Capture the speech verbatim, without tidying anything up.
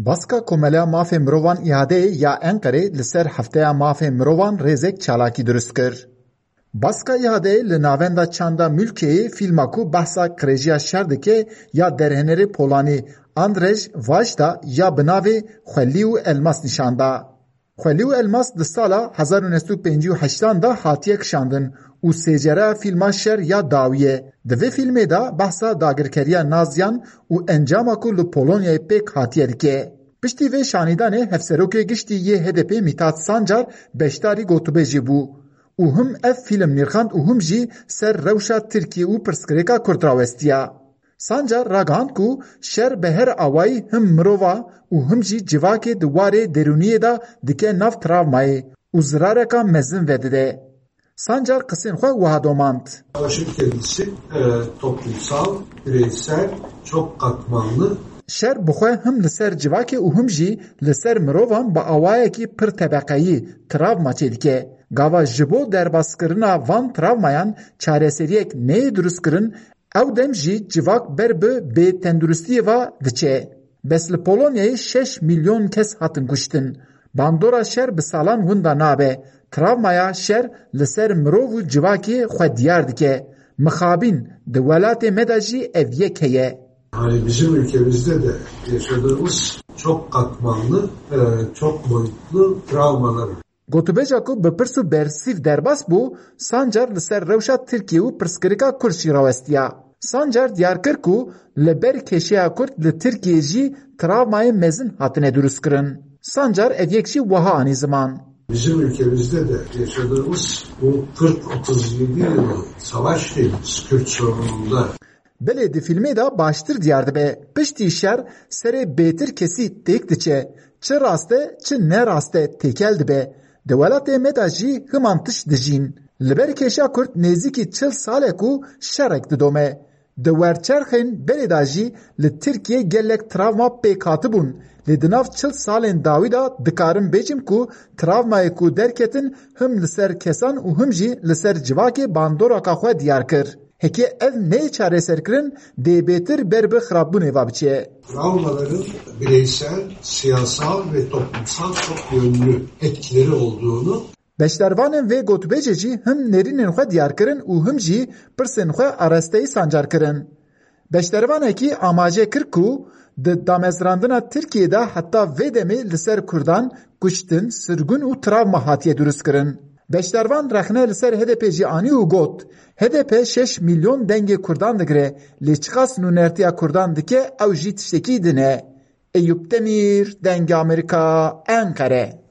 Baska Komeleya Mafê Mirovan İHAD'ê ya Enqerê li ser Hefteya Mafê Mirovan rêzek çalakî dirust kir. Baska İHAD'ê li Navenda Çanda Mülkeyê fîlma ku behsa qirêjiya şer dike ya derhênerê Polanî Andrzej Wajda ya bi navê Xwelî û Elmas nîşan da. Xwelî û Elmas di sala hezar û neh sed û pêncî û heştan de hatiye kişandin û sêcereya fîlma Şer ya dawî ye. Di vê fîlmê de behsa dagirkeriya Naziyan û encama ku li Polonyayê pêk hatiye dike. Piştî vê şanîdanê hevserokê giştî yê H D P Mithat Sancar beşdarî gotûbêjê bû û him ev fîlm nirxand û him jî ser rewşa Tirkiyê û pirsgirêka Kurd rawestiya. Sancar ragihand ku şer bi her awayî him mirova û him jî civakê di warê derûniyê de dike nav travmayê û zirareka mezin vedide. Sancar qisên xwe wiha domand. Savaşın kendisi e, toplumsal, bireysel, çok katmanlı. Şer bi xwe him li ser civakê û him jî li ser mirovan bi awayekî pir tebeqeyî travma çêdike. Gava ji bo derbaskirina van travmayan çareseriyek neyê dirustkirin, ew dem jî civak ber bi bêtenduristiyê ve diçe. Bes li Polonyayê şeş milyon kes hatin kuştin. Bandora şer bi salan winda nabe. Travmaya şer li ser mirov û civakê xwe diyar dike. Mixabin, di welatê me de jî ev yek heye. Hani bizim ülkemizde de yaşadığımız çok katmanlı, e, çok boyutlu travmalar. Gotûbêja ku bi pirs û bersîv derbas bû, Sancar li ser rewşa Tirkiye û pirsgirêka Kurd jî rawestiya. Sancar diyar kir ku li ber kêşeya Kurd li Tirkiyê jî travmayê mezin hatine dirustkirin. Sancar ev yek jî wiha anî ziman. Bizim ülkemizde de yaşadığımız bu kırk otuz yedi yıllık savaş tecrübesi Kürt sorununda. Belê di fîlmê de baştir diyar dibe. Piştî şer serê bêtir kesî têk diçe. Çi rast e, çi ne rast e têkel dibe. Di welatê me de jî himan tişt dijîn. Li ber kêşa Kurd nêzîkî çil sal e ku şerek didome. Di werçerxên berê de jî li Tirkiyê gelek travma pêk hatibûn. Lê di nav çil salên dawî de dikarim bêjim ku travmayê ku derketin him li ser kesan û him jî li ser civakê bandoraka xwe diyar kir. Heke ev neyê çareserkirin, dê bêtir ber bi xirabûnê ve biçe. Travmaların bireysel, siyasal ve toplumsal çok yönlü etkileri olduğunu. Beşdarvanên vê gotûbêjê jî him nêrînên xwe diyar kirin û him jî pirsên xwe arasteyî Sancar kirin. Beşdarvanekî amaje kir ku di damezrandina Tirkiyê de heta vê demê li ser Kurdan kuştin, sirgûn û travma hatiye dirustkirin. Beşdarvan rexne li ser H D P jî anî û got, H D P şeş milyon dengê Kurdan digire, lê çiqas nûnertiya Kurdan dike ew jî tiştekî din e. Eyûp Demîr, Dengê Amerîka, Enqere.